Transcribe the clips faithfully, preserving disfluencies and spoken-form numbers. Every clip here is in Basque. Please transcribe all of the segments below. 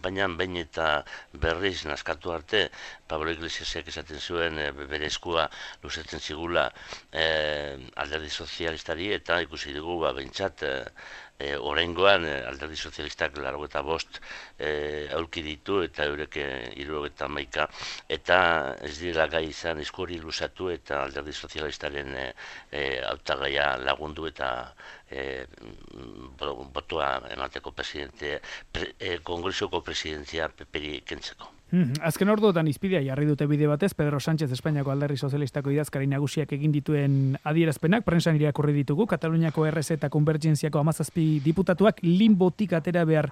kanpainan behin eta berriz naskatu arte, Pablo Iglesiasek esaten zuen e, bere eskua luzetzen zigula e, alderdi sozialistari, eta ikusi dugu ba, behintzat e, e, oraingoan e, alderdi sozialistak laurogeita bost e, aurki ditu eta eurek hirurogeita hamaika, eta ez direla gai izan esku hori luzatu eta alderdi sozialistaren e, e, hautagaia lagundu eta e, botoa emateko presidente, pre, e, kongresuko presidentzia peperi kentzeko. Hmm, azken orduotan izpidea jarri dute bide batez, Pedro Sánchez Espainiako alderdi sozialistako idazkari nagusiak egin dituen adierazpenak, prensan irakurri ditugu, Kataluniako R Z eta Konbergentziako hamazazpi diputatuak limbotik atera behar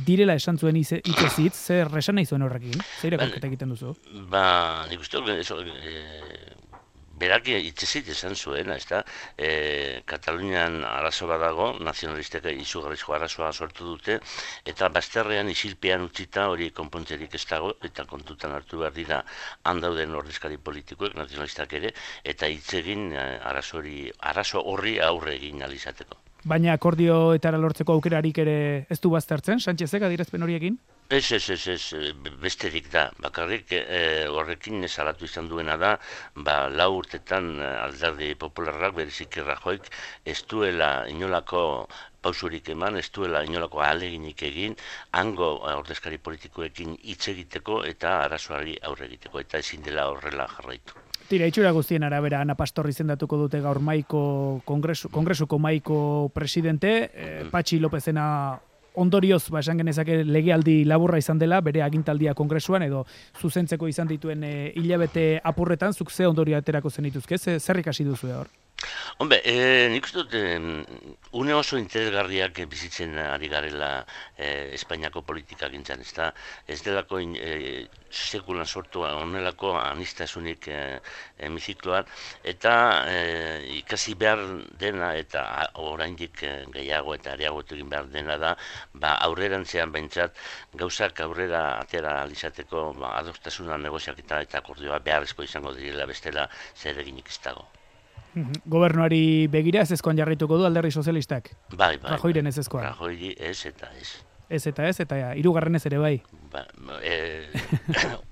direla esan zuen hitzez hitz, zer esan nahi zuen horrekin? Zer irakurketa egiten duzu? Ba, nik uste e, berak hitzezit esan zuena, ez da, e, Katalunian arazo bat dago, nazionalistek izugarrizko arazoa sortu dute, eta bazterrean isilpean utzita hori konpontzerik ez dago, eta kontutan hartu behar dira handauden ordezkari politikoek, nazionalistak ere, eta hitz egin arazo hori, arazo horri aurre egin alizateko. Baina akordioetara lortzeko aukerarik ere ez du baztertzen, Sánchezek adierazpen horiekin? Ez, ez, ez, ez, besterik da. Bakarrik e, horrekin salatu izan duena da, ba, lau urtetan alderdi popularrak, berezik Rajoyk, ez duela inolako pausurik eman, ez duela inolako ahaleginik egin, hango ordezkari politikoekin hitz egiteko eta arazoari aurre egiteko, eta ezin dela horrela jarraitu. Tira, itxura guztien arabera, Ana Pastor izendatuko dute gaur maiko kongresu, kongresuko maiko presidente, eh, Patxi Lopezena ondorioz, ba, esan genezake legealdi laburra izan dela, bere agintaldia kongresuan, edo zuzentzeko izan dituen e, hilabete apurretan, zuk ze ondorio aterako zen dituzke, ze, zer ikasi duzu hor? Hombre, eh, nik uste dut, eh, une oso interesgarriak bizitzen ari garela eh, Espainiako politika gintzan, ez da, ez delako eh, sekulan sortu onelako anistasunik eh, hemizikloan, eta eh, ikasi behar dena, eta oraindik eh, gehiago eta areagotu egin behar dena da, ba, aurrerantzean behintzat, gauzak aurrera atera alizateko ba, adostasuna negoziaketa eta akordioa beharrezko izango direla bestela zer eginik ez dago. Gobernuari begira ez ezkoan jarrituko du alderdi sozialistak? Bai, bai. Rajoyren ez ezkoan? Rajoyri ez eta ez. Ez eta ez, eta ja, hirugarren ez ere bai? Ba, e,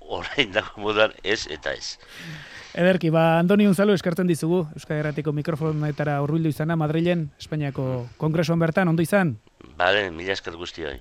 orain dago modan ez eta ez. Ederki, ba, Andoni Unzalu eskertzen dizugu, Euskal Herratiko mikrofonetara hurbildu izana, Madrilen, Espainiako kongresuan bertan, ondo izan? Bale, mila esker guztioi.